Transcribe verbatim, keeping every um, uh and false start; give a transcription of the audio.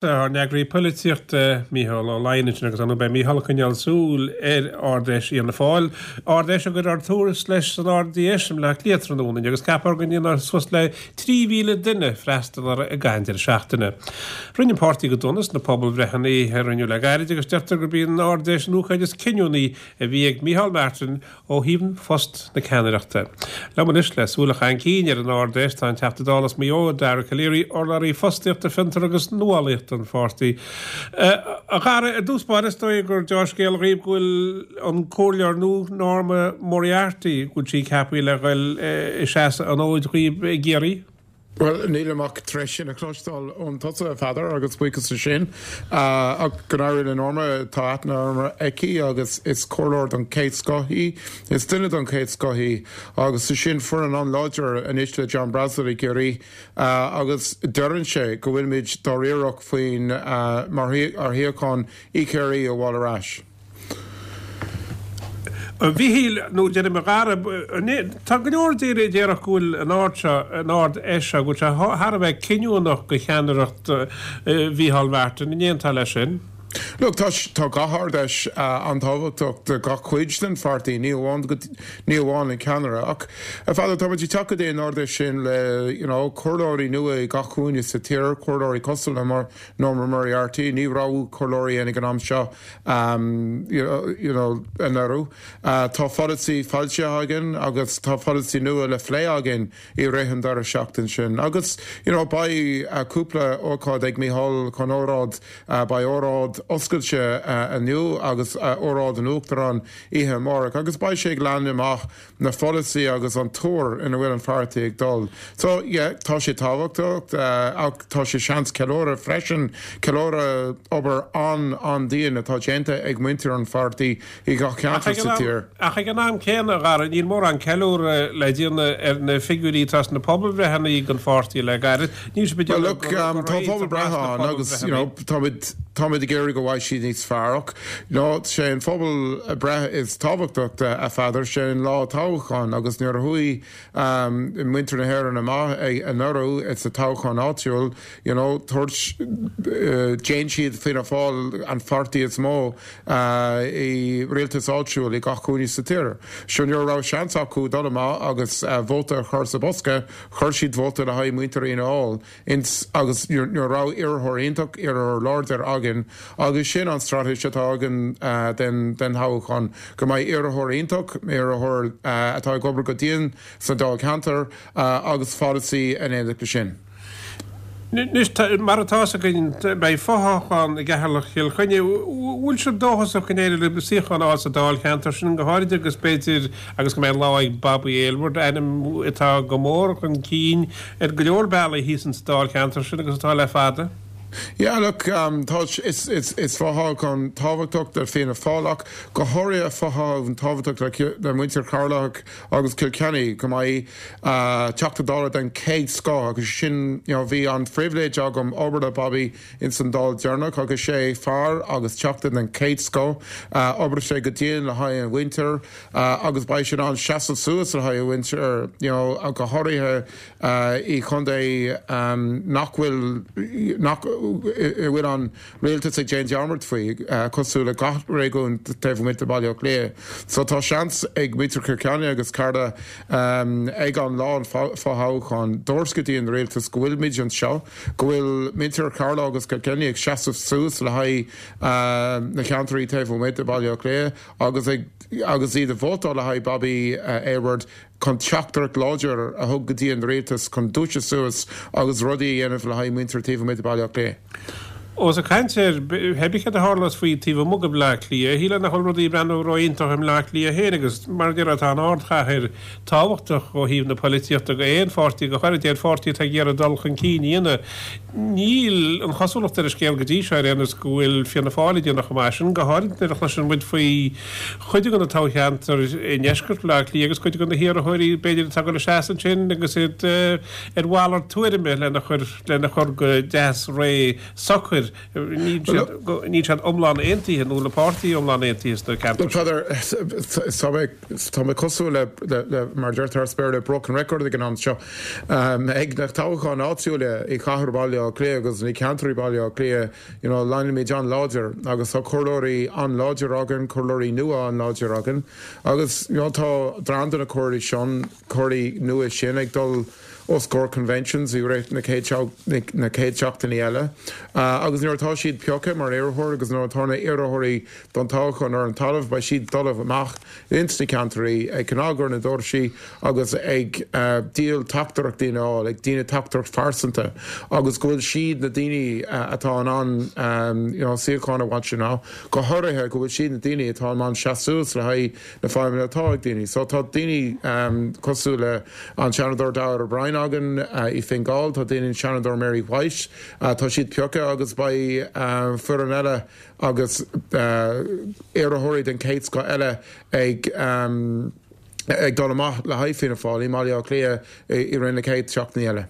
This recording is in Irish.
Ár n-eagraí polaitíochta Mícheál Ó Laighin ansin agus beidh Mícheál ag coinneáil súil ar Ard-Fheis Fhianna Fáil. Ard-Fheis a gcuirfear tús leis san R D S i mBleá Cliath tráthnóna agus ceaptar go ndéanfar suas le trí mhíle duine freastal air i gcaitheamh an deireadh seachtaine. Rinne an páirtí go dona sna pobalbhreitheanna a rinneadh le gairid agus deirtear gurb í an Ard-Fheis an ócáid is cinniúnaí a bhí ag Micheál Martin ó thaobh phost na ceannaireachta. Liom anois le súil a chaitheamh chun cinn ar an Ard-Fheis tá an Teachta Dála as Maigh Eo, Dara Calleary, urlabhraí fostaíochta, fiontar agus nuálaíochta an pháirtí. A Dhara, i dtús báire, is dóigh gur dea-scéal dhaoibh go bhfuil an comhairleoir nua Norma Moriarty, go bhfuil sí ceaptha le dhul i seasamh an fhóid dhaoibh i gCiarraí. Well, nílim ach tar éis sin a chloisteáil ó thusa, a Pheadair, agus buíochas sin ach go n-éirí le Norma. Tá aithne aici agus is comhairleoir den chéad scoth í, is duine den chéad scoth í agus sin foireann an-láidir anois le John Brassil i gCiarraí agus deireann sé go bhfuilmid dáiríreach faoin mar ar shuíochán i gCiarraí a fháil ar ais. Mhíchíl nó déanam a Dhara, tá go leor daoine a déarfadh go bhfuil an Ard seo, an Ard-Fheis seo, go bhfuil sé thar a bheith cinniúnach do cheannaireacht Mhícheál Martin. An aontaíonn tú leis sin? Look, tá tá gach Ard-Fheis an-tábhachtach do gach cuid den pháirtí, ní amháin ní amháin an ceannaire, ach a Pheadair, tá muid ag teacht go dtí an Ard-Fheis sin le you know, comhairleoirí nua i gach cúinne sa tír, comhairleoirí cosúil le mar Norma Moriarty, ní raibh comhairleoirí ag an am seo um, you know, you know, anuraidh. Uh, tá pholasaí foilsithe againn agus tá pholasaí nua le plé againn i rith an deireadh seachtain sin. Agus you know, beidh uh, cúpla ócáid ag Mícheál chun óráid uh, beidh óráid oscailte uh, inniu agus uh, óráid an Uachtaráin oíche amárach, agus beidh sé ag leagan amach na pholasaí agus an tuar ina bhfuil an pháirtí ag dul. So yeah, tá sé tábhachtach uh, ach tá sé seans ceiliúradh freisin, ceiliúradh obair an an-dian atá déanta ag muintir an pháirtí i gach ceantar sa tír. Ach ag an am céanna, a Dhara, níl mórán ceiliúradh le déanamh ar na figiúirí atá sna pobalbhreitheanna don pháirtí le gairid. Níl sé Well, look, um, tá pobalbhreith ann agus you know, táimid táimid ag iarraidh go bhfaighidh siad níos fearr ach no, sé an phobalbhreith is tábhachtach a Pheadair, sé an lá toghcháin agus nuair a chuaigh um, muintir na hÉireann amach anuraidh sa toghchán áitiúil, you know, tabhairt uh, déan siad Fianna Fáil an pháirtí is mó uh, i rialtas áitiúil i gach cúinne sa tír. So nuair raibh seans acu dul amach agus uh, vóta a chur sa bosca, chuir siad vóta le haghaidh muintir Fhianna Fáil ins agus nuair raibh iarrthóir iontach, iarrthóir láidir againn agus sin an straitéis atá againn uh, den den toghchán go mbeidh iarrthóir iontach, iarrthóir uh, atá ag obair go dian sa dáilcheantar uh, agus pholasaí in éineacht leis sin. Anois mar atá againn beidh fothoghchán i gCeatharlach Chill Chainnigh, bhfuil sibh dóchasach go n-éireoidh libh suíochán a fháil sa dáilcheantar sin go háirid agus b'fhéidir agus go mbeidh lá ag Bobby Aylward, ainm atá go mór chun cinn ar go leor bealaí thíos sa dáilcheantar sin agus atá le fada. Yeah, look, um, tá is is is fothoghchán tábhachtach do Fianna Fáil ach go háirithe fothoghchán tábhachtach le muintir Cheatharlach agus Cill Chainnigh go mbeidh uh, Teachta Dála den chéad scoth agus sin you know, bhí an phribhléid agam obair le Bobby in san Dáil deireanach agus sé fear agus teachta den chéad scoth uh, obair sé go dian le haghaidh an mhuintir uh, agus beidh sé an seasamh suas le haghaidh an mhuintir you know, go háirithe uh, i chontae um, nach bhfuil nach bhfuil an rialtas ag déanamh dearmad faoi cosúil le gach réigiún taobh amuigh de Bhaile Átha Cliath. So tá seans ag muintir Chill Chainnigh agus Ceatharlach um, ag an lá an fothoghchán dúirt go dtí an rialtas go bhfuil anseo, go bhfuil muintir Cheatharlach agus Cill Chainnigh ag seasamh suas le haghaidh uh, na ceantair taobh amuigh de Bhaile Átha Cliath agus ag, agus iad ag vótáil le haghaidh Bobby uh, Aylward chun teachtaireacht láidir a thabhairt go dtí an rialtas chun dúiseacht suas agus rudaí a dhéanamh le haghaidh muintir taobh amuigh de Bhaile Átha Cliath. Ós ag caint ar hebige a tharlas faoi taobh amuigh de Bhleá Cliath, shíl nach bhfuil rudaí ag breathnú ró-iontach i mBleá Cliath féin agus mar deir tá an ardchathair tábhachtach ó thaobh na polaitíochta go aon pháirtí, go háirithe aon pháirtí atá ag iarraidh dul chun cinn a dhéanamh. Níl an chosúlacht ar an scéal go dtí seo ar aon nós go bhfuil Fianna Fáil ag déanamh chomh maith sin, go háirithe nuair a chloiseann muid faoi chuid de na toghcheantair i ndeisceart Bhleá Cliath agus cuid de na hiarrthóirí b'fhéidir atá ag dul a seasamh ansin agus iad ar mhalairt tuairime lena chur lena chur go deas réidh socair. obair níl siad iomlán aontaithe nó le páirtí iomlán aontaithe sna ceantair. Tá mé cosúil le mar deirtear as Béarla broken record ag an am seo ag na toghcháin áitiúla i chathair Baile Átha Cliath agus i gceantair Baile Átha Cliath you know, leanaimid an-láidir agus tá comhairleoirí an-láidir againn comhairleoirí nua an-láidir againn agus you know, tá dream de na comhairleoirí sin comhairleoirí nua sin ag dul os comhair conventions i rith na na chéad seachtainí eile. Uh, agus nuair atá siad pioctha mar iarrthóir agus nuair atá na iarrthóirí don toghchán ar an talamh beidh siad dul amach ins na ceantair ag cnagadh ar na doirse agus ag uh, díol teachtaireachtaí ná ag déanamh teachtaireacht phearsanta agus go bhfuil siad na daoine uh, atá an an um, you know, suíochán a bhaint ná go háirithe go bhfuil siad na daoine atá an seasamh le haghaidh na fadhbanna atá ag daoine. So tá daoine um, cosúil le an Seanadóir Darragh O'Brien againn uh, i Fine Gall tá daoine Seanadóir Mary White uh, tá siad pioctha agus beidh uh, foireann eile agus uh, iarrthóirí den chéad scoth eile ag um, ag dul amach le haghaidh Fianna Fáil i mBaile Átha Cliath i rith na chéad seachtainí eile.